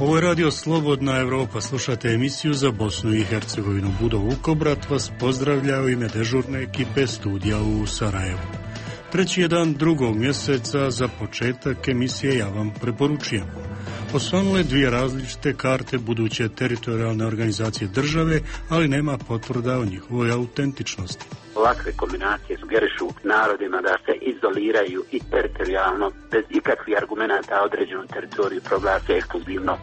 Ovo je radio Slobodna Evropa, slušate emisiju za Bosnu i Hercegovinu. Budo Vukobrat vas pozdravlja u ime dežurne ekipe studija u Sarajevu. Treći je dan drugog mjeseca, za početak emisije ja vam preporučujem. Osvanule dvije različite karte buduće teritorijalne organizacije države, ali nema potvrda o njihovoj autentičnosti. Ovakve kombinacije sugerišu narodima da se izoliraju i teritorijalno, bez ikakvih argumenata određenu teritoriju proglase ekskluzivno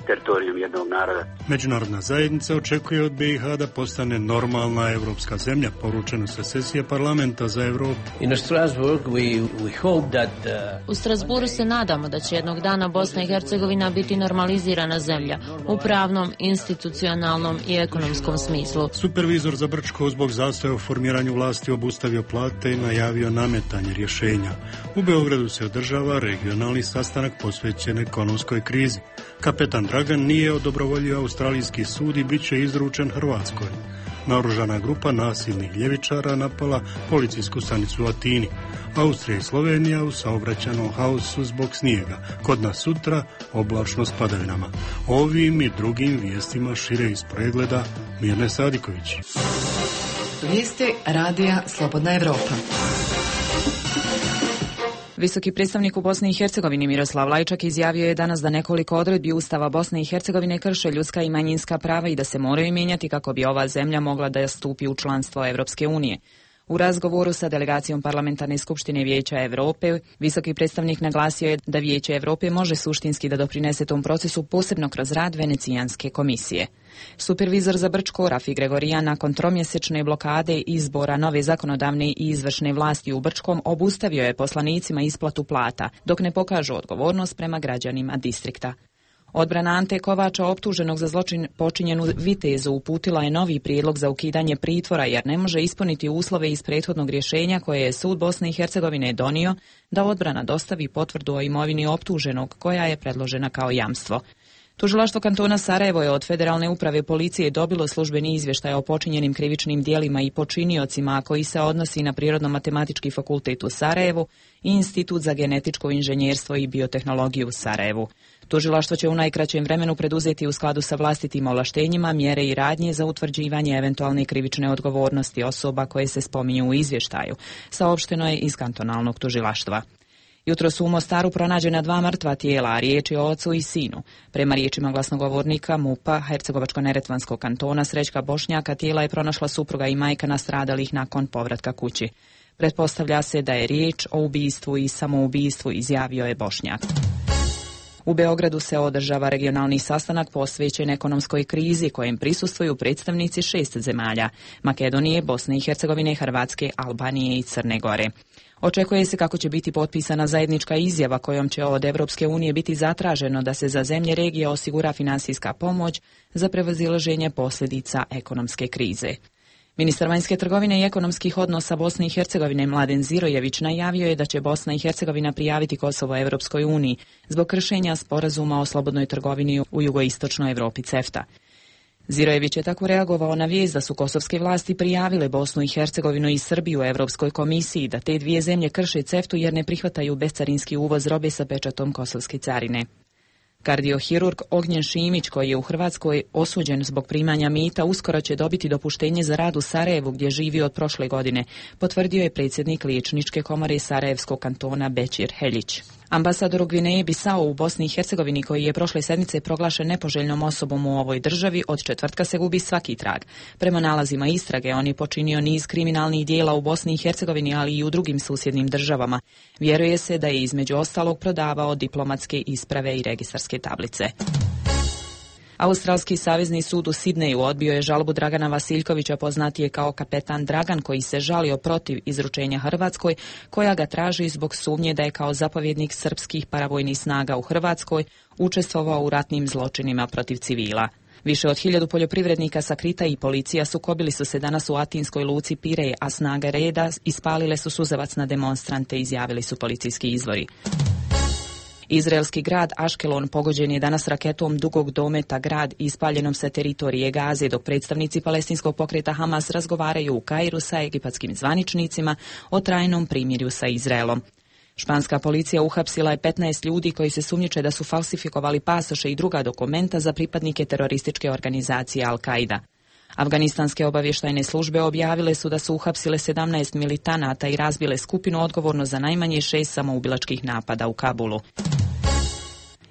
teritorijom jednog naroda. Međunarodna zajednica očekuje od BiH da postane normalna evropska zemlja, poručeno sa sesije parlamenta za Evropu. U Strasburu se nadamo da će jednog dana Bosna i Hercegovina biti normalizirana zemlja u pravnom, institucionalnom i ekonomskom smislu. Supervizor za Brčko zbog zastoja u formiranju vlasti obustavio plate i najavio nametanje rješenja. U Beogradu se održava regionalni sastanak posvećen ekonomskoj krizi. Kapetan Dragan nije odobrovoljio australijski sud i bit će izručen Hrvatskoj. Naoružana grupa nasilnih ljevičara napala policijsku stanicu u Atini. Austrija i Slovenija u saobraćajnom haosu zbog snijega. Kod nas sutra oblačno s padavinama. Ovim i drugim vijestima šire iz pregleda Mirne Sadiković. Vijesti radija Slobodna Evropa. Visoki predstavnik u Bosni i Hercegovini Miroslav Lajčak izjavio je danas da nekoliko odredbi Ustava Bosne i Hercegovine krše ljudska i manjinska prava i da se moraju mijenjati kako bi ova zemlja mogla da stupi u članstvo Evropske unije. U razgovoru sa delegacijom Parlamentarne skupštine Vijeća Europe, visoki predstavnik naglasio je da Vijeće Europe može suštinski da doprinese tom procesu, posebno kroz rad Venecijanske komisije. Supervizor za Brčko Rafi Gregorijan nakon tromjesečne blokade izbora nove zakonodavne i izvršne vlasti u Brčkom obustavio je poslanicima isplatu plata, dok ne pokažu odgovornost prema građanima distrikta. Odbrana Ante Kovača, optuženog za zločin počinjen u Vitezu, uputila je novi prijedlog za ukidanje pritvora jer ne može ispuniti uslove iz prethodnog rješenja koje je sud Bosne i Hercegovine donio da odbrana dostavi potvrdu o imovini optuženog koja je predložena kao jamstvo. Tužilaštvo kantona Sarajevo je od Federalne uprave policije dobilo službeni izvještaj o počinjenim krivičnim djelima i počiniocima, koji se odnosi na Prirodno-matematički fakultet u Sarajevu i Institut za genetičko inženjerstvo i biotehnologiju u Sarajevu. Tužilaštvo će u najkraćem vremenu preduzeti u skladu sa vlastitim ovlaštenjima mjere i radnje za utvrđivanje eventualne krivične odgovornosti osoba koje se spominju u izvještaju, saopšteno je iz kantonalnog tužilaštva. Jutros u Mostaru pronađena 2 mrtva tijela, a riječ je o ocu i sinu. Prema riječima glasnogovornika MUP-a Hercegovačko-neretvanskog kantona Srećka Bošnjaka, tijela je pronašla supruga i majka nastradalih nakon povratka kući. Pretpostavlja se da je riječ o ubistvu i samoubistvu, izjavio je Bošnjak. U Beogradu se održava regionalni sastanak posvećen ekonomskoj krizi kojem prisustvuju predstavnici 6 zemalja: Makedonije, Bosne i Hercegovine, Hrvatske, Albanije i Crne Gore. Očekuje se kako će biti potpisana zajednička izjava kojom će od Evropske unije biti zatraženo da se za zemlje regije osigura finansijska pomoć za prevazilaženje posljedica ekonomske krize. Ministar vanjske trgovine i ekonomskih odnosa Bosne i Hercegovine Mladen Zirojević najavio je da će Bosna i Hercegovina prijaviti Kosovo Evropskoj uniji zbog kršenja sporazuma o slobodnoj trgovini u jugoistočnoj Europi CEFTA. Zirojević je tako reagovao na vijest da su kosovske vlasti prijavile Bosnu i Hercegovinu i Srbiju Europskoj komisiji da te dvije zemlje krše CEFTU jer ne prihvataju bescarinski uvoz robe sa pečatom kosovske carine. Kardiohirurg Ognjen Šimić, koji je u Hrvatskoj osuđen zbog primanja mita, uskoro će dobiti dopuštenje za rad u Sarajevu gdje živi od prošle godine, potvrdio je predsjednik Liječničke komore Sarajevskog kantona Bećir Heljić. Ambasador u Gvineji Bisao u Bosni i Hercegovini, koji je prošle sedmice proglašen nepoželjnom osobom u ovoj državi, od četvrtka se gubi svaki trag. Prema nalazima istrage, on je počinio niz kriminalnih dijela u Bosni i Hercegovini, ali i u drugim susjednim državama. Vjeruje se da je između ostalog prodavao diplomatske isprave i registarske tablice. Australski savezni sud u Sidneju odbio je žalbu Dragana Vasiljkovića, poznatije kao kapetan Dragan, koji se žalio protiv izručenja Hrvatskoj, koja ga traži zbog sumnje da je kao zapovjednik srpskih paravojnih snaga u Hrvatskoj učestvovao u ratnim zločinima protiv civila. Više od 1000 poljoprivrednika Sakrita i policija sukobili su se danas u atinskoj luci Pirej, a snage reda ispalile su suzavac na demonstrante, izjavili su policijski izvori. Izraelski grad Aškelon pogođen je danas raketom dugog dometa grad ispaljenom sa teritorije Gaze, dok predstavnici palestinskog pokreta Hamas razgovaraju u Kairu sa egipatskim zvaničnicima o trajnom primirju sa Izraelom. Španska policija uhapsila je 15 ljudi koji se sumnjiče da su falsifikovali pasoše i druga dokumenta za pripadnike terorističke organizacije Al-Qaida. Afganistanske obavještajne službe objavile su da su uhapsile 17 militanata i razbile skupinu odgovorno za najmanje 6 samoubilačkih napada u Kabulu.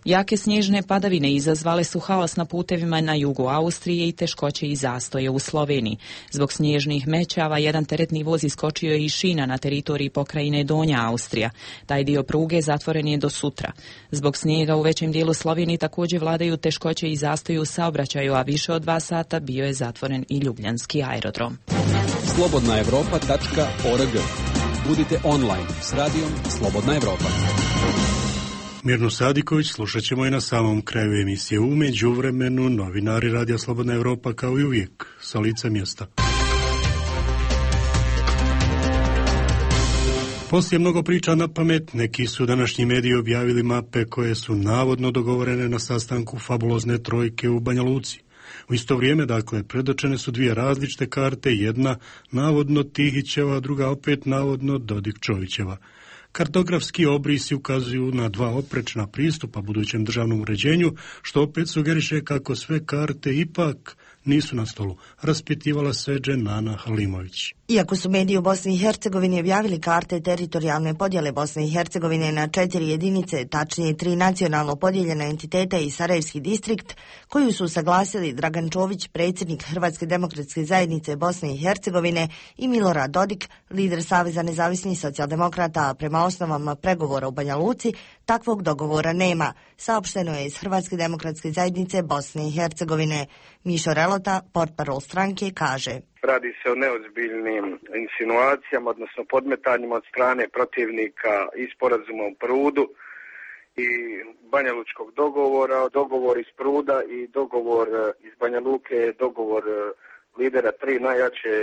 Jake snježne padavine izazvale su haos na putevima na jugu Austrije i teškoće i zastoje u Sloveniji. Zbog snježnih mećava jedan teretni voz iskočio je iz šina na teritoriji pokrajine Donja Austrija. Taj dio pruge zatvoren je do sutra. Zbog snijega u većem dijelu Slovenije također vladaju teškoće i zastoje u saobraćaju, a više od 2 sata bio je zatvoren i ljubljanski aerodrom. slobodnaevropa.org. Budite online s radijom Slobodna Evropa. Mirnu Sadiković slušat ćemo i na samom kraju emisije. U međuvremenu novinari Radija Slobodna Evropa kao i uvijek sa lica mjesta. Poslije mnogo priča na pamet, neki su današnji mediji objavili mape koje su navodno dogovorene na sastanku fabulozne trojke u Banja Luci. U isto vrijeme, dakle, predočene su 2 različite karte, jedna navodno Tihićeva, druga opet navodno Dodik-Čovićeva. Kartografski obrisi ukazuju na 2 oprečna pristupa budućem državnom uređenju, što opet sugeriše kako sve karte ipak nisu na stolu, raspitivala se Dženana Halimović. Iako su mediji u Bosni i Hercegovini objavili karte teritorijalne podjele Bosne i Hercegovine na 4 jedinice, tačnije 3 nacionalno podijeljena entiteta i Sarajevski distrikt, koju su usaglasili Dragan Čović, predsjednik Hrvatske demokratske zajednice Bosne i Hercegovine, i Milorad Dodik, lider Saveza nezavisnih socijaldemokrata, a prema osnovama pregovora u Banja Luci, takvog dogovora nema, saopšteno je iz Hrvatske demokratske zajednice Bosne i Hercegovine. Mišo Relota, portparol stranke, kaže: Radi se o neozbiljnim insinuacijama, odnosno podmetanjima od strane protivnika i sporazuma u Prudu i Banja Lučkog dogovora. Dogovor iz Pruda i dogovor iz Banja Luke je dogovor lidera 3 najjače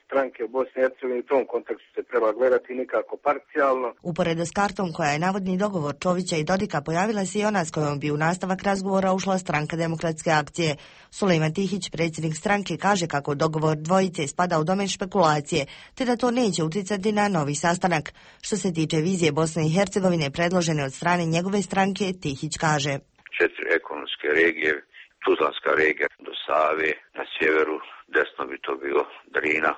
stranke u Bosni i Hercegovini. U tom kontekstu se treba gledati nikako parcijalno. Uporedo s kartom koja je navodni dogovor Čovića i Dodika, pojavila se i ona s kojom bi u nastavak razgovora ušla stranka Demokratske akcije. Sulejman Tihić, predsjednik stranke, kaže kako dogovor dvojice spada u domen špekulacije, te da to neće utjecati na novi sastanak. Što se tiče vizije Bosne i Hercegovine predložene od strane njegove stranke, Tihić kaže: 4 ekonomske regije, Tuzlanska regija do Save, na sjeveru desno bi to bilo Drina,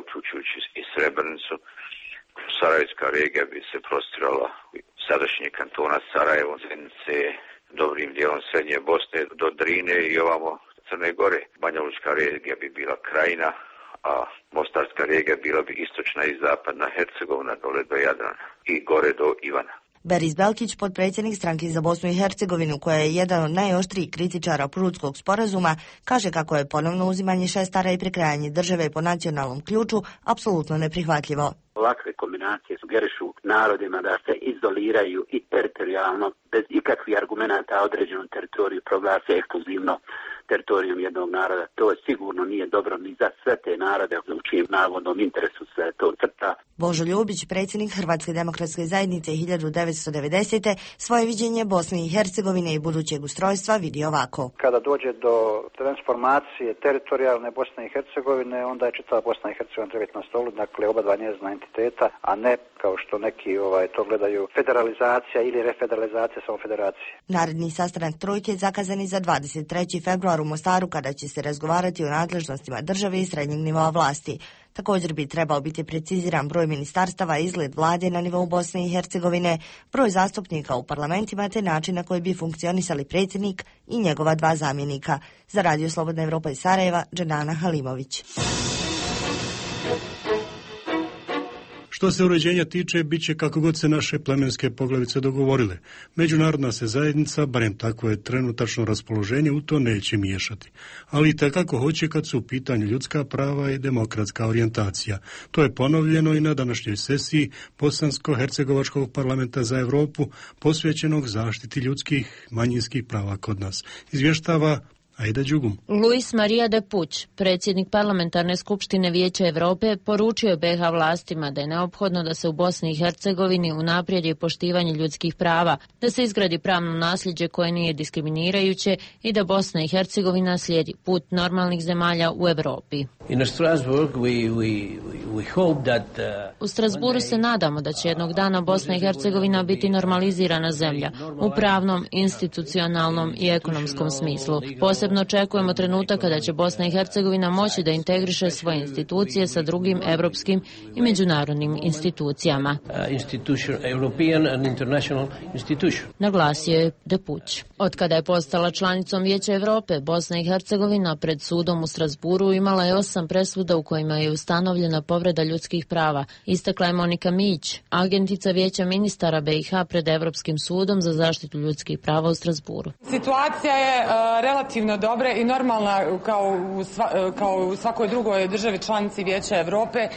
uključujući i Srebrenicu. Sarajevska regija bi se prostirala sadašnje kantona Sarajevo, Zenice, dobrim dijelom srednje Bosne do Drine i ovamo Crne Gore. Banja Lučka regija bi bila Krajina, a Mostarska regija bila bi istočna i zapadna Hercegovina dole do Jadrana i gore do Ivana. Beris Belkić, potpredsjednik stranke za Bosnu i Hercegovinu, koja je jedan od najoštrijih kritičara Prudskog sporazuma, kaže kako je ponovno uzimanje šestara i prekrajanje države po nacionalnom ključu apsolutno neprihvatljivo. Ovakve kombinacije sugerišu narodima da se izoliraju i teritorijalno, bez ikakvih argumenata, određenu teritoriju proglase ekskluzivno teritorijom jednog naroda. To sigurno nije dobro ni za sve te narode u čijem navodnom interesu se to crta. Božo Ljubić, predsjednik Hrvatske demokratske zajednice 1990. svoje viđenje Bosne i Hercegovine i budućeg ustrojstva vidi ovako. Kada dođe do transformacije teritorijalne Bosne i Hercegovine, onda je čitava Bosna i Hercegovina treba biti na stolu, dakle oba dva njezina entiteta, a ne kao što neki to gledaju federalizacija ili refederalizacija samo federacije. Naredni sastanak trojke je zakazan za 23. februar u Mostaru, kada će se razgovarati o nadležnostima države i srednjeg nivoa vlasti. Također bi trebao biti preciziran broj ministarstava, izgled vlade na nivou Bosne i Hercegovine, broj zastupnika u parlamentima te način na koji bi funkcionisali predsjednik i njegova 2 zamjenika. Za Radio Slobodna Evropa iz Sarajeva, Dženana Halimović. Što se uređenja tiče, bit će kako god se naše plemenske poglavice dogovorile. Međunarodna se zajednica, barem takvo je trenutačno raspoloženje, u to neće miješati. Ali i takako hoće kad su u pitanju ljudska prava i demokratska orijentacija. To je ponovljeno i na današnjoj sesiji Bosansko-Hercegovačkog parlamenta za Europu, posvećenog zaštiti ljudskih manjinskih prava kod nas. Izvještava Aida Đugum. Luis Maria de Puć, predsjednik Parlamentarne skupštine Vijeća Europe, poručio je BiH vlastima da je neophodno da se u Bosni i Hercegovini unaprijedi poštivanje ljudskih prava, da se izgradi pravno nasljeđe koje nije diskriminirajuće i da Bosna i Hercegovina slijedi put normalnih zemalja u Europi. U Strasburu se nadamo da će jednog dana Bosna i Hercegovina biti normalizirana zemlja u pravnom, institucionalnom i ekonomskom smislu. Posebno očekujemo trenutak kada će Bosna i Hercegovina moći da integriše svoje institucije sa drugim evropskim i međunarodnim institucijama. Naglasio je Depuć. Od kada je postala članicom Vijeća Evrope, Bosna i Hercegovina pred sudom u Strasburu imala je 8 presuda u kojima je ustanovljena povreda ljudskih prava. Istakla je Monika Mić, agentica Vijeća ministara BiH pred Evropskim sudom za zaštitu ljudskih prava u Strasburu. Situacija je relativno dobra i normalna kao u svakoj drugoj državi članici Vijeća Evrope.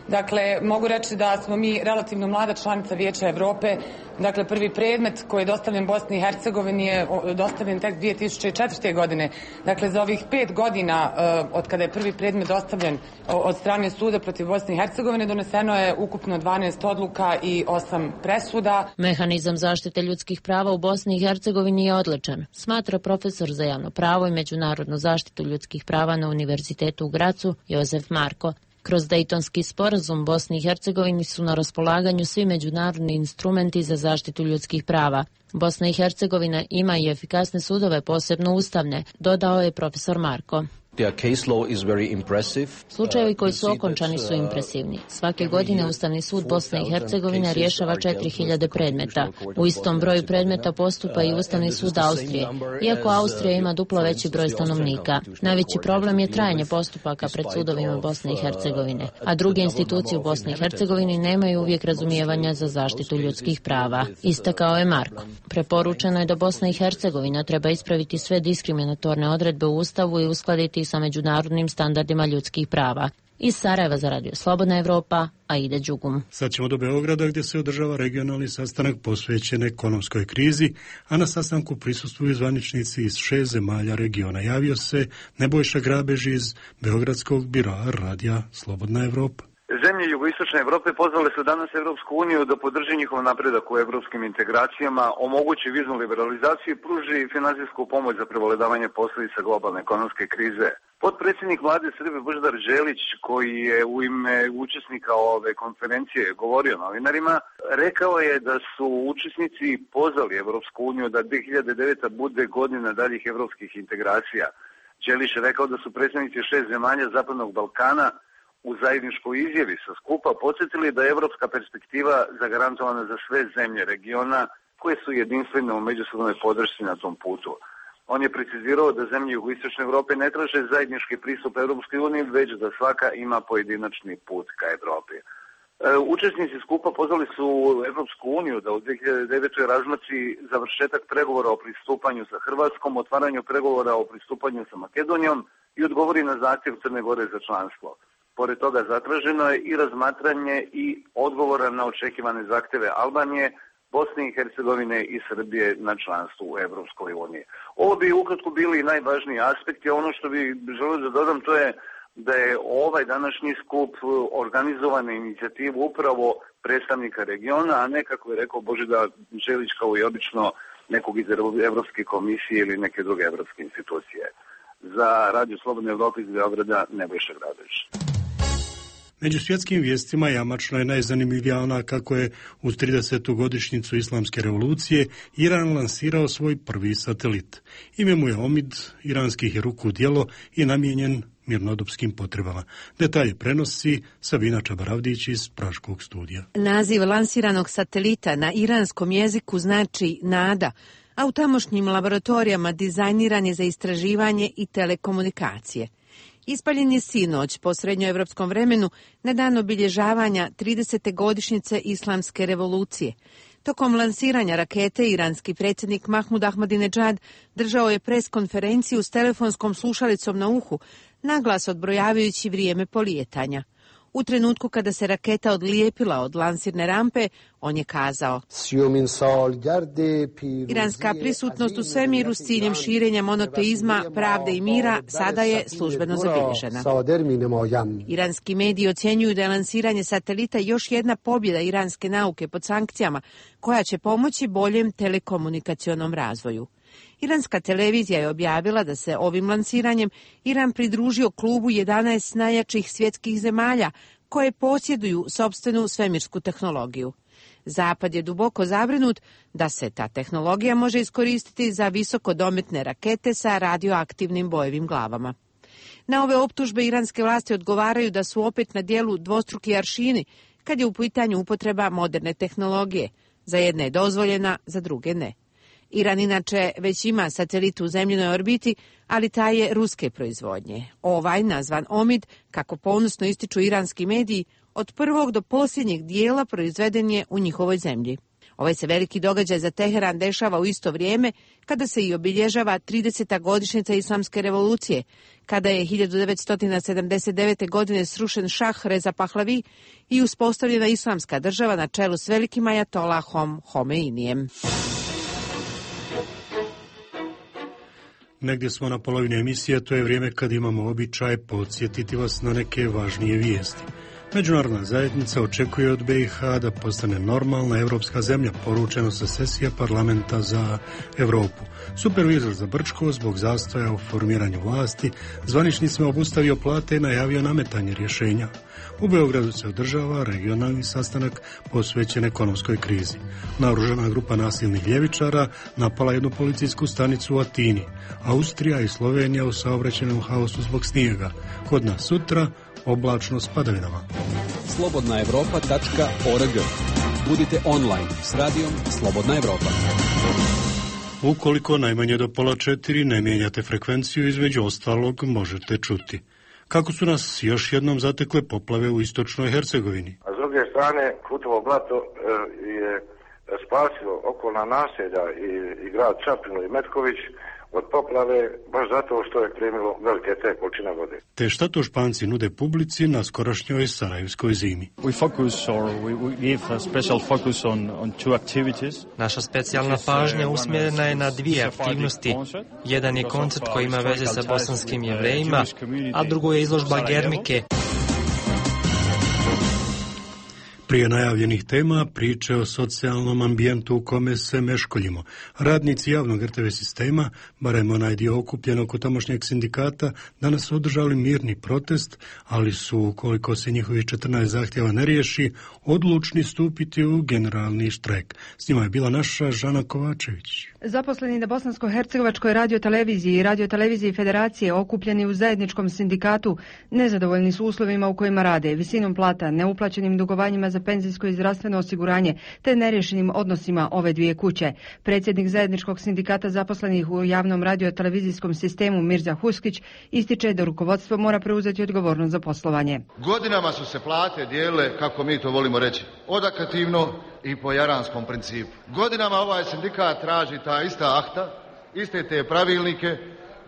Dakle, mogu reći da smo mi relativno mlada članica Vijeća Evrope. Dakle, prvi predmet koji je dostavljen Bosni i Hercegovini je dostavljen tek 2004. godine. Dakle, za ovih 5 godina od kada je prvi predmet dostavljen od strane suda protiv Bosne i Hercegovine doneseno je ukupno 12 odluka i 8 presuda. Mehanizam zaštite ljudskih prava u Bosni i Hercegovini je odličan, smatra profesor za javno pravo i međunarodnu zaštitu ljudskih prava na Univerzitetu u Gracu Jozef Marko. Kroz Dejtonski sporazum Bosni i Hercegovini su na raspolaganju svi međunarodni instrumenti za zaštitu ljudskih prava. Bosna i Hercegovina ima i efikasne sudove, posebno ustavne, dodao je profesor Marko. Slučajevi koji su okončani su impresivni. Svake godine Ustavni sud Bosne i Hercegovine rješava 4000 predmeta. U istom broju predmeta postupa i Ustavni sud Austrije, iako Austrija ima duplo veći broj stanovnika. Najveći problem je trajanje postupaka pred sudovima Bosne i Hercegovine, a druge institucije u Bosni i Hercegovini nemaju uvijek razumijevanja za zaštitu ljudskih prava. Istakao je Marko. Preporučeno je da Bosna i Hercegovina treba ispraviti sve diskriminatorne odredbe u Ustavu i uskladiti sa međunarodnim standardima ljudskih prava. Iz Sarajeva za Radio Slobodna Evropa, Aida Đugum. Sad ćemo do Beograda gdje se održava regionalni sastanak posvećen ekonomskoj krizi, a na sastanku prisustvuju zvaničnici iz 6 zemalja regiona. Javio se Nebojša Grabež iz Beogradskog biroa Radija Slobodna Evropa. Zemlje jugoistočne Evrope pozvale su danas Evropsku uniju da podrži njihov napredak u evropskim integracijama, omogući viznu liberalizaciju i pruži finansijsku pomoć za prevladavanje posljedica globalne ekonomske krize. Potpredsjednik vlade Srbije Božidar Đelić, koji je u ime učesnika ove konferencije govorio novinarima, rekao je da su učesnici pozvali Evropsku uniju da 2009. bude godina daljih evropskih integracija. Đelić je rekao da su predstavnici 6 zemalja Zapadnog Balkana u zajedničkoj izjavi sa skupa podsjetili da je evropska perspektiva zagarantovana za sve zemlje regiona koje su jedinstvene u međusobnoj podršci na tom putu. On je precizirao da zemlje jugoistočne Evrope ne traže zajednički pristup Europskoj uniji, već da svaka ima pojedinačni put ka Evropi. Učesnici skupa pozvali su Evropsku uniju da u 2009. razmotri završetak pregovora o pristupanju sa Hrvatskom, otvaranju pregovora o pristupanju sa Makedonijom i odgovori na zahtjev Crne Gore za članstvo. Pored toga zatraženo je i razmatranje i odgovora na očekivane zahtjeve Albanije, Bosne i Hercegovine i Srbije na članstvu u Evropskoj uniji. Ovo bi ukratko bili najvažniji aspekti, a ono što bi želio da dodam to je da je ovaj današnji skup organizovan na inicijativu upravo predstavnika regiona, a ne, kako je rekao Božidar Đelić, kao i obično nekog iz Evropske komisije ili neke druge evropske institucije. Za Radio Slobodne Evrope iz Beograda, Nebojša Grabež. Među svjetskim vijestima jamačno je najzanimljivija ona kako je uz 30. godišnjicu Islamske revolucije Iran lansirao svoj prvi satelit. Ime mu je Omid, iranskih je ruku djelo i namijenjen mirnodopskim potrebama. Detalje prenosi Sabina Čabaravdić iz Praškog studija. Naziv lansiranog satelita na iranskom jeziku znači nada, a u tamošnjim laboratorijama dizajniran je za istraživanje i telekomunikacije. Ispaljen je sinoć po srednjoevropskom vremenu na dan obilježavanja 30. godišnjice Islamske revolucije. Tokom lansiranja rakete iranski predsjednik Mahmud Ahmadinejad držao je pres konferenciju s telefonskom slušalicom na uhu, naglas odbrojavajući vrijeme polijetanja. U trenutku kada se raketa odlijepila od lansirne rampe, on je kazao: Iranska prisutnost u svemiru s ciljem širenja monoteizma, pravde i mira sada je službeno zabilježena. Iranski mediji ocjenjuju da je lansiranje satelita još jedna pobjeda iranske nauke pod sankcijama, koja će pomoći boljem telekomunikacionom razvoju. Iranska televizija je objavila da se ovim lansiranjem Iran pridružio klubu 11 najjačih svjetskih zemalja koje posjeduju sopstvenu svemirsku tehnologiju. Zapad je duboko zabrinut da se ta tehnologija može iskoristiti za visokodometne rakete sa radioaktivnim bojevim glavama. Na ove optužbe iranske vlasti odgovaraju da su opet na dijelu dvostruki aršini kad je u pitanju upotreba moderne tehnologije. Za jedne je dozvoljena, za druge ne. Iran inače već ima satelit u zemljinoj orbiti, ali taj je ruske proizvodnje. Ovaj, nazvan Omid, kako ponosno ističu iranski mediji, od prvog do posljednjeg dijela proizveden je u njihovoj zemlji. Ovaj se veliki događaj za Teheran dešava u isto vrijeme kada se i obilježava 30. godišnjica Islamske revolucije, kada je 1979. godine srušen šah Reza Pahlavi i uspostavljena islamska država na čelu s velikim ajatolahom Homeinijem. Negdje smo na polovini emisije, to je vrijeme kad imamo običaj podsjetiti vas na neke važnije vijesti. Međunarodna zajednica očekuje od BiH da postane normalna evropska zemlja, poručeno sa sesija parlamenta za Europu. Supervizor za Brčko zbog zastoja u formiranju vlasti zvaničnicima obustavio plate i najavio nametanje rješenja. U Beogradu se održava regionalni sastanak posvećen ekonomskoj krizi. Naoružana grupa nasilnih ljevičara napala jednu policijsku stanicu u Atini. Austrija i Slovenija u saobraćajnom haosu zbog snijega. Kod nas sutra oblačno s padavinama. slobodnaevropa.org. Budite online s radijom Slobodna Evropa. Ukoliko najmanje do 3:30 ne mijenjate frekvenciju, između ostalog možete čuti kako su nas još jednom zatekle poplave u istočnoj Hercegovini. A s druge strane, Kutovo blato je spasilo okolna naselja i grad Čapinu i Metković od poplave, baš zato što je primilo velike te količine vode. Te šta to Španci nude publici na skorašnjoj sarajevskoj zimi? Naša specijalna pažnja usmjerena je na dvije aktivnosti. Jedan je koncert koji ima veze sa bosanskim Jevrejima, a drugo je izložba Gernike. Prije najavljenih tema priče o socijalnom ambijentu u kome se meškoljimo. Radnici javnog RTV sistema, barem onaj dio okupljen oko tamošnjeg sindikata, danas su održali mirni protest, ali su, ukoliko se njihovih 14 zahtjeva ne riješi, odlučni stupiti u generalni štrajk. S njima je bila naša Žana Kovačević. Zaposleni na Bosansko-hercegovačkoj radioteleviziji i radioteleviziji Federacije okupljeni u zajedničkom sindikatu nezadovoljni su uslovima u kojima rade, visinom plata, neuplaćenim dugovanjima za penzijsko i zdravstveno osiguranje te nerješenim odnosima ove dvije kuće. Predsjednik zajedničkog sindikata zaposlenih u javnom radiotelevizijskom sistemu Mirza Huskić ističe da rukovodstvo mora preuzeti odgovornost za poslovanje. Godinama su se plate dijelile, kako mi to volimo reći, odokativno i po jaranskom principu. Godinama ovaj sindikat traži ta ista akta, iste te pravilnike,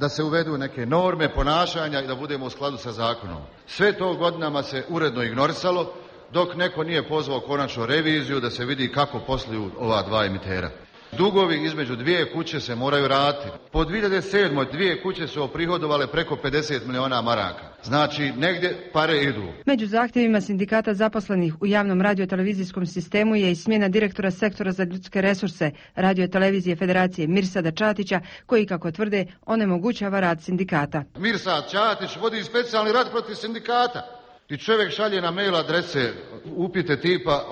da se uvedu neke norme ponašanja i da budemo u skladu sa zakonom. Sve to godinama se uredno ignorisalo, dok neko nije pozvao konačnu reviziju da se vidi kako posluju ova dva emitera. Dugovi između dvije kuće se moraju vratiti. Po 2007. dvije kuće su oprihodovale preko 50 miliona maraka. Znači, negdje pare idu. Među zahtjevima sindikata zaposlenih u javnom radiotelevizijskom sistemu je i smjena direktora sektora za ljudske resurse radiotelevizije Federacije Mirsada Čatića, koji, kako tvrde, onemogućava rad sindikata. Mirsad Čatić vodi specijalni rad protiv sindikata. I čovjek šalje na mail adrese upite tipa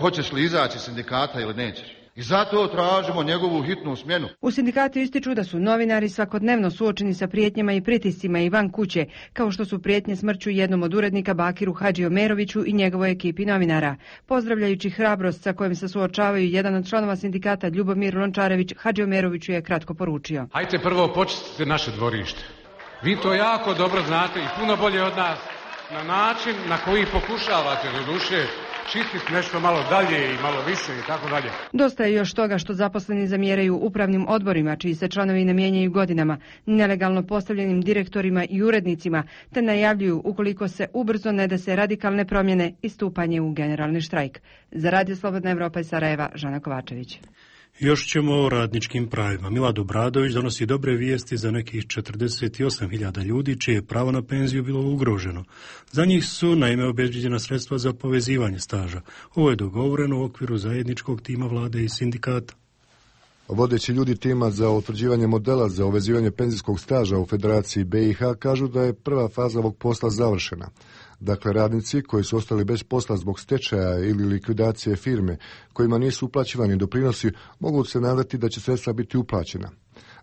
hoćeš li izaći iz sindikata ili nećeš. I zato tražimo njegovu hitnu smjenu. U sindikatu ističu da su novinari svakodnevno suočeni sa prijetnjama i pritiscima i van kuće, kao što su prijetnje smrću jednom od urednika Bakiru Hadžiomeroviću i njegovoj ekipi novinara. Pozdravljajući hrabrost sa kojim se suočavaju, jedan od članova sindikata Ljubomir Lončarević Hadžiomeroviću je kratko poručio. Hajte prvo počistite naše dvorište. Vi to jako dobro znate i puno bolje od nas. Na način na koji pokušavate do duše čistiti nešto malo dalje i malo više i tako dalje. Dosta je još toga što zaposleni zamjeraju upravnim odborima, čiji se članovi ne mijenjaju godinama, nelegalno postavljenim direktorima i urednicima, te najavljuju, ukoliko se ubrzo ne dese radikalne promjene, i stupanje u generalni štrajk. Za Radio Slobodna Evropa iz Sarajeva, Žana Kovačević. Još ćemo o radničkim pravima. Milad Obradović donosi dobre vijesti za nekih 48.000 ljudi čije je pravo na penziju bilo ugroženo. Za njih su naime obezbeđena sredstva za povezivanje staža. Ovo je dogovoreno u okviru zajedničkog tima vlade i sindikata. Vodeći ljudi tima za utvrđivanje modela za uvezivanje penzijskog staža u Federaciji BiH kažu da je prva faza ovog posla završena. Dakle, radnici koji su ostali bez posla zbog stečaja ili likvidacije firme kojima nisu uplaćivani doprinosi mogu se nadati da će sredstva biti uplaćena.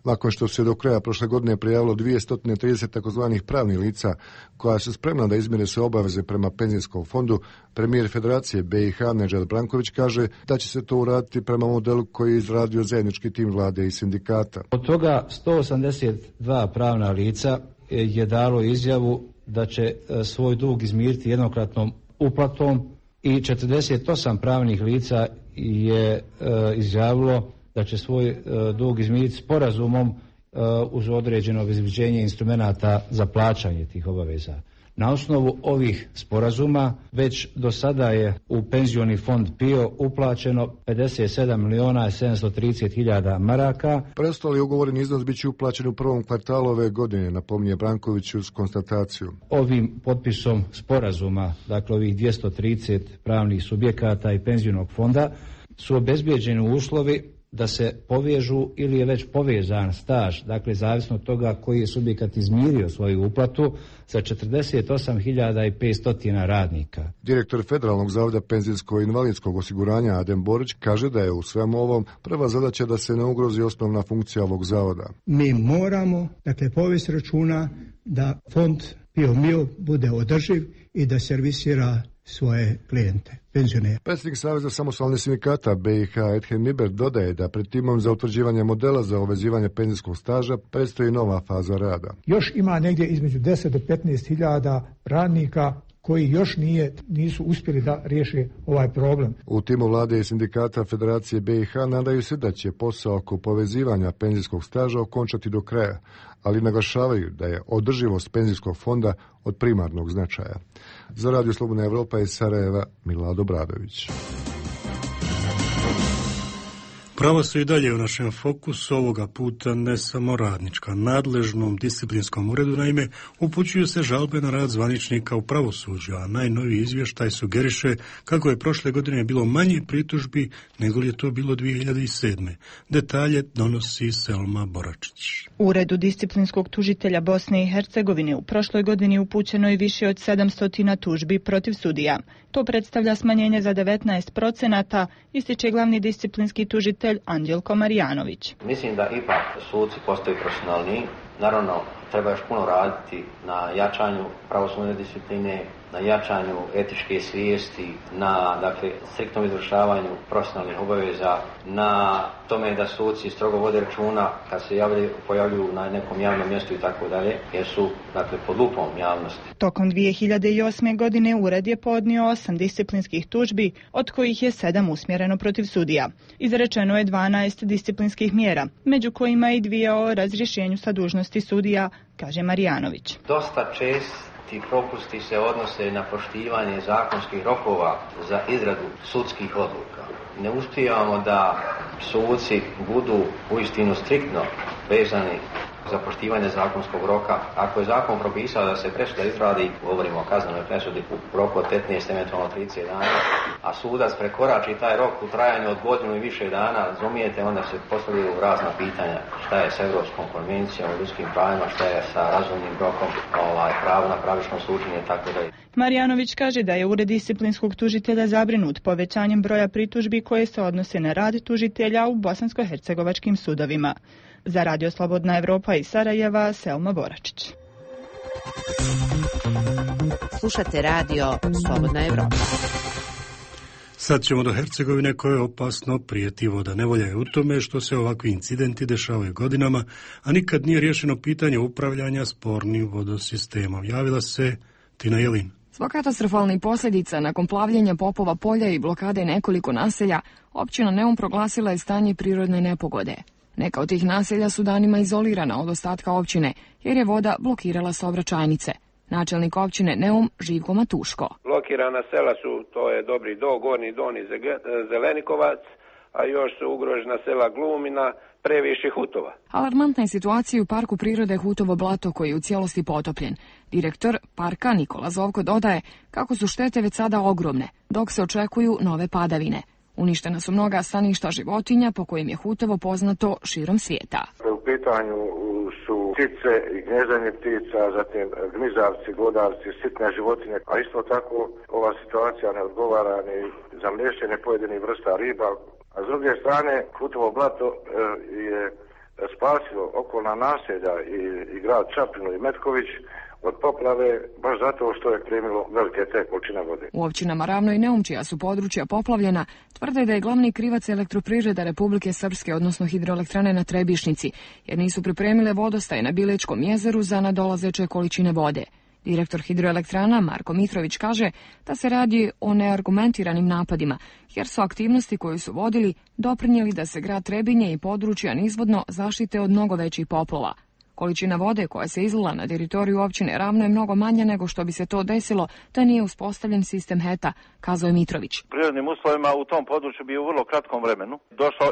Nakon što se do kraja prošle godine prijavilo 230 takozvanih pravnih lica koja su spremna da izmire sve obaveze prema penzijskom fondu, premijer Federacije BiH Nedžad Branković kaže da će se to uraditi prema modelu koji je izradio zajednički tim vlade i sindikata. Od toga 182 pravna lica je dalo izjavu da će svoj dug izmiriti jednokratnom uplatom i 48 pravnih lica je izjavilo da će svoj dug izmiriti sporazumom uz određeno obezbeđenje instrumenata za plaćanje tih obaveza. Na osnovu ovih sporazuma već do sada je u penzioni fond PIO uplaćeno 57.730.000 maraka. Preostali ugovoreni iznos bit će uplaćen u prvom kvartalu ove godine, napominje Branković uz konstataciju. Ovim potpisom sporazuma, dakle ovih 230 pravnih subjekata i penzionog fonda, su obezbeđeni uslovi da se povežu ili je već povezan staž, dakle zavisno od toga koji je subjekat izmirio svoju uplatu, sa 48.500 radnika. Direktor Federalnog zavoda penzijskog i invalidskog osiguranja Adem Borić kaže da je u svemu ovom prva zadaća da se ne ugrozi osnovna funkcija ovog zavoda. Mi moramo, dakle, povesti računa da fond PIO-MIO bude održiv i da servisira svoje klijente, penzionere. Predsjednik Saveza samostalnih sindikata BiH Edhem Niber dodaje da pred timom za utvrđivanje modela za uvezivanje penzijskog staža predstoji nova faza rada. Još ima negdje između 10 do 15.000 radnika koji još nisu uspjeli da riješe ovaj problem. U timu vlade i sindikata Federacije BiH nadaju se da će posao oko povezivanja penzijskog staža okončati do kraja, ali naglašavaju da je održivost penzijskog fonda od primarnog značaja. Za Radio Slobodna Evropa iz Sarajeva, Milado Bradović. Prava su i dalje u našem fokusu, ovoga puta ne samo radnička. Nadležnom disciplinskom uredu, naime, upućuju se žalbe na rad zvaničnika u pravosuđu, a najnoviji izvještaj sugeriše kako je prošle godine bilo manje pritužbi nego li je to bilo 2007. Detalje donosi Selma Boračić. Uredu disciplinskog tužitelja Bosne i Hercegovine u prošloj godini upućeno je više od 700 tužbi protiv sudija. To predstavlja smanjenje za 19%, ističe glavni disciplinski tužitelj Anđelko Marijanović. Mislim da ipak suci postaju profesionalniji. Naravno, treba još puno raditi na jačanju pravosudne discipline, na jačanju etičke svijesti, na striktnom izvršavanju profesionalnih obaveza, na tome da suci strogo vode računa kad se pojavljuju na nekom javnom mjestu i tako dalje, jer su pod lupom javnosti. Tokom 2008. godine ured je podnio 8 disciplinskih tužbi, od kojih je 7 usmjereno protiv sudija. Izrečeno je 12 disciplinskih mjera, među kojima i 2 o razrješenju sa dužnosti sudija, kaže Marijanović. Dosta česti propusti se odnose na poštivanje zakonskih rokova za izradu sudskih odluka. Ne uspijevamo da suci budu uistinu striktno vezani za poštivanje zakonskog roka. Ako je zakon propisao da se presuda izradi, govorimo o kaznenoj presudi, u roku od 15, eventualno 30 dana, a sudac prekorači taj rok u trajanju od godinu i više dana, razumijete, onda se postavljaju razna pitanja. Šta je s Europskom konvencijom o ljudskim pravima, šta je sa razumnim rokom, pravo na pravično suđenje i tako dalje. Marijanović kaže da je ured disciplinskog tužitelja zabrinut povećanjem broja pritužbi koje se odnose na rad tužitelja u bosansko-hercegovačkim sudovima. Za Radio Slobodna Evropa iz Sarajeva, Selma Boračić. Slušate Radio Slobodna Evropa. Sad ćemo do Hercegovine koje opasno prijeti voda. Nevolja je u tome što se ovakvi incidenti dešavaju godinama, a nikad nije riješeno pitanje upravljanja spornim vodosistemom. Javila se Tina Jelin. Zbog katastrofalnih posljedica nakon plavljenja Popova polja i blokade nekoliko naselja, općina Neum proglasila je stanje prirodne nepogode. Neka od tih naselja su danima izolirana od ostatka općine, jer je voda blokirala saobraćajnice. Načelnik općine Neum Živko Matuško. Blokirana sela su, to je Dobri Do, Gornji Don i Zelenikovac, a još su ugrožena sela Glumina, Previši, Hutova. Alarmantna je situacija u parku prirode Hutovo blato koji je u cijelosti potopljen. Direktor parka Nikola Zovko dodaje kako su štete već sada ogromne, dok se očekuju nove padavine. Uništena su mnoga staništa životinja po kojim je hutovo poznato širom svijeta. U pitanju su ptice i gnezdanje ptica, zatim gmizavci, glodavci, sitne životinje, a isto tako ova situacija ne odgovara ni za mliješćenje pojedinih vrsta riba. A s druge strane, Hutovo blato je spasilo okolna naselja i grad Čapinu i Metković od poplave, baš zato što je primilo velike te količine vode. U općinama Ravno i Neum, čija su područja poplavljena, tvrde da je glavni krivac Elektroprivreda Republike Srpske, odnosno hidroelektrane na Trebišnici, jer nisu pripremile vodostaje na Bilečkom jezeru za nadolazeće količine vode. Direktor hidroelektrana Marko Mitrović kaže da se radi o neargumentiranim napadima, jer su aktivnosti koju su vodili doprinijeli da se grad Trebinje i područja nizvodno zaštite od mnogo većih poplava. Količina vode koja se izlila na teritoriju općine Ravno je mnogo manja nego što bi se to desilo da nije uspostavljen sistem HETA, kazao je Mitrović. Prirodnim uslovima u tom području bi u vrlo kratkom vremenu došlo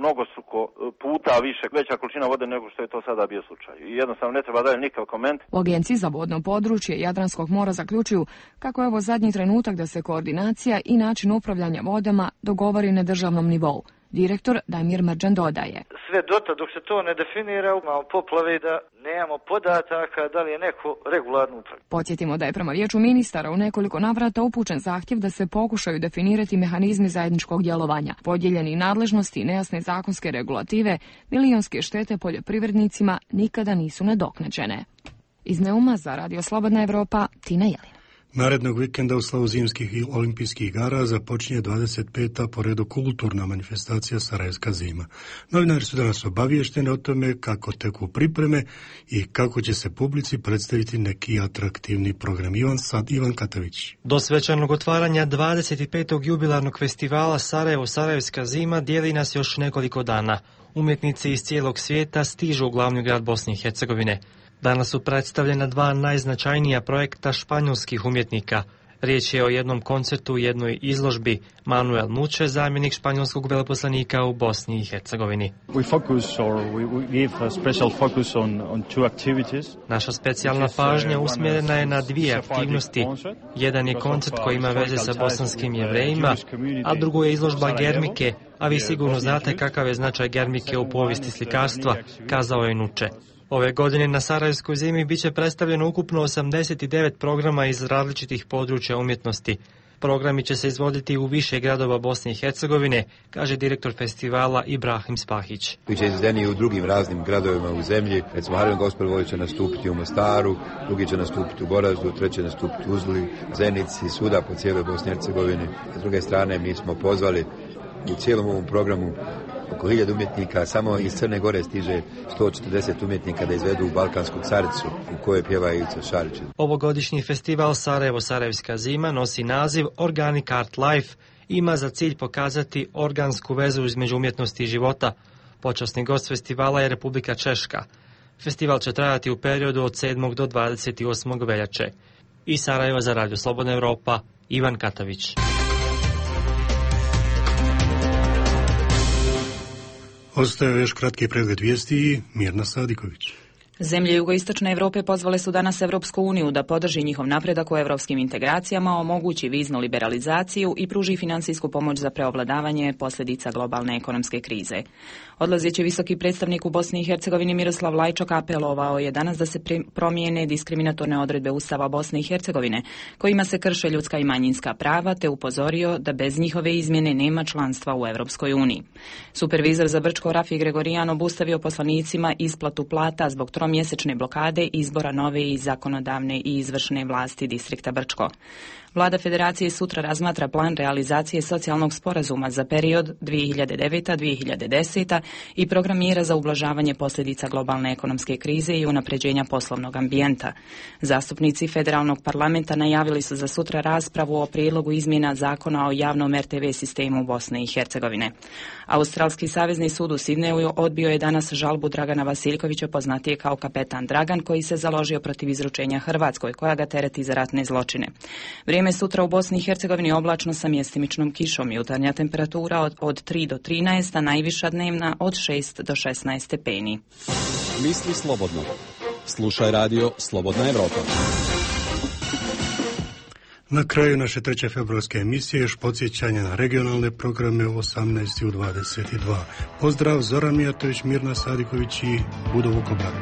mnogostruko puta više, veća količina vode nego što je to sada bio slučaj. I jednostavno ne treba dalje nikakav koment. U Agenciji za vodno područje Jadranskog mora zaključuju kako je ovo zadnji trenutak da se koordinacija i način upravljanja vodama dogovori na državnom nivou. Direktor Damir Mrđan dodaje. Sve dotad dok se to ne definira, imamo poplave da nemamo podataka da li je neko regularno upravlja. Podsjetimo da je prema Vijeću ministara u nekoliko navrata upućen zahtjev da se pokušaju definirati mehanizmi zajedničkog djelovanja. Podijeljeni nadležnosti i nejasne zakonske regulative, milionske štete poljoprivrednicima nikada nisu nadoknađene. Iz Neuma za Radio Slobodna Evropa, Tina Jelina. Narednog vikenda u slavu zimskih i olimpijskih igara započinje 25. po redu kulturna manifestacija Sarajevska zima. Novinari su danas obavješteni o tome kako teku pripreme i kako će se publici predstaviti neki atraktivni program. Ivan Katavić. Do svečanog otvaranja 25. jubilarnog festivala Sarajevska zima dijeli nas još nekoliko dana. Umjetnici iz cijelog svijeta stižu u glavni grad Bosne i Hercegovine. Danas su predstavljena dva najznačajnija projekta španjolskih umjetnika. Riječ je o jednom koncertu u jednoj izložbi. Manuel Muče, zamjenik španjolskog veleposlanika u Bosni i Hercegovini. Naša specijalna pažnja usmjerena je na dvije aktivnosti. Jedan je koncert koji ima veze sa bosanskim Jevrejima, a drugo je izložba Germike, a vi sigurno znate kakav je značaj Germike u povijesti slikarstva, kazao je Nuče. Ove godine na Sarajevskoj zimi biće predstavljeno ukupno 89 programa iz različitih područja umjetnosti. Programi će se izvoditi u više gradova Bosne i Hercegovine, kaže direktor festivala Ibrahim Spahić. Biće izvedeni u drugim raznim gradovima u zemlji. Recimo Harem Gospel će nastupiti u Mostaru, drugi će nastupiti u Goraždu, treći će nastupiti u Uzli, Zenici, svuda po cijeloj Bosni i Hercegovini. S druge strane mi smo pozvali u cijelom ovom programu oko 1000 umjetnika, samo iz Crne Gore stiže 140 umjetnika da izvedu Balkansku caricu u kojoj pjeva Ivica Šarić. Ovogodišnji festival Sarajevska zima nosi naziv Organic Art Life i ima za cilj pokazati organsku vezu između umjetnosti i života. Počasni gost festivala je Republika Češka. Festival će trajati u periodu od 7. do 28. veljače. Iz Sarajeva za Radio Slobodna Evropa, Ivan Katavić. Ostaje još kratki pregled vijesti i Mirna Sadiković. Zemlje jugoistočne Evrope pozvale su danas Evropsku uniju da podrži njihov napredak u evropskim integracijama, omogući viznu liberalizaciju i pruži finansijsku pomoć za preovladavanje posljedica globalne ekonomske krize. Odlazeći visoki predstavnik u Bosni i Hercegovini Miroslav Lajčak apelovao je danas da se promijene diskriminatorne odredbe Ustava Bosne i Hercegovine, kojima se krše ljudska i manjinska prava, te upozorio da bez njihove izmjene nema članstva u Evropskoj uniji. Supervizor za Brčko Rafi Gregorijan obustavio poslanicima isplatu plata zbog tromjesečne blokade izbora nove i zakonodavne i izvršne vlasti distrikta Brčko. Vlada Federacije sutra razmatra plan realizacije socijalnog sporazuma za period 2009-2010 i program mjera za ublažavanje posljedica globalne ekonomske krize i unapređenja poslovnog ambijenta. Zastupnici federalnog parlamenta najavili su za sutra raspravu o prijedlogu izmjena zakona o javnom RTV sistemu Bosne i Hercegovine. Australski savezni sud u Sidneju odbio je danas žalbu Dragana Vasiljkovića, poznatije kao kapetan Dragan, koji se založio protiv izručenja Hrvatskoj, koja ga tereti za ratne zločine. Vrijeme sutra u Bosni i Hercegovini oblačno sa mjestimičnom kišom, jutarnja temperatura od 3 do 13, a najviša dnevna od 6 do 16 stepeni. Misli slobodno. Slušaj radio Slobodna Evropa. Na kraju naše 3. februarske emisije još podsjećanje na regionalne programe u 18 i u 22. Pozdrav, Zoran Mijatović, Mirna Sadiković i Budo Vukobar.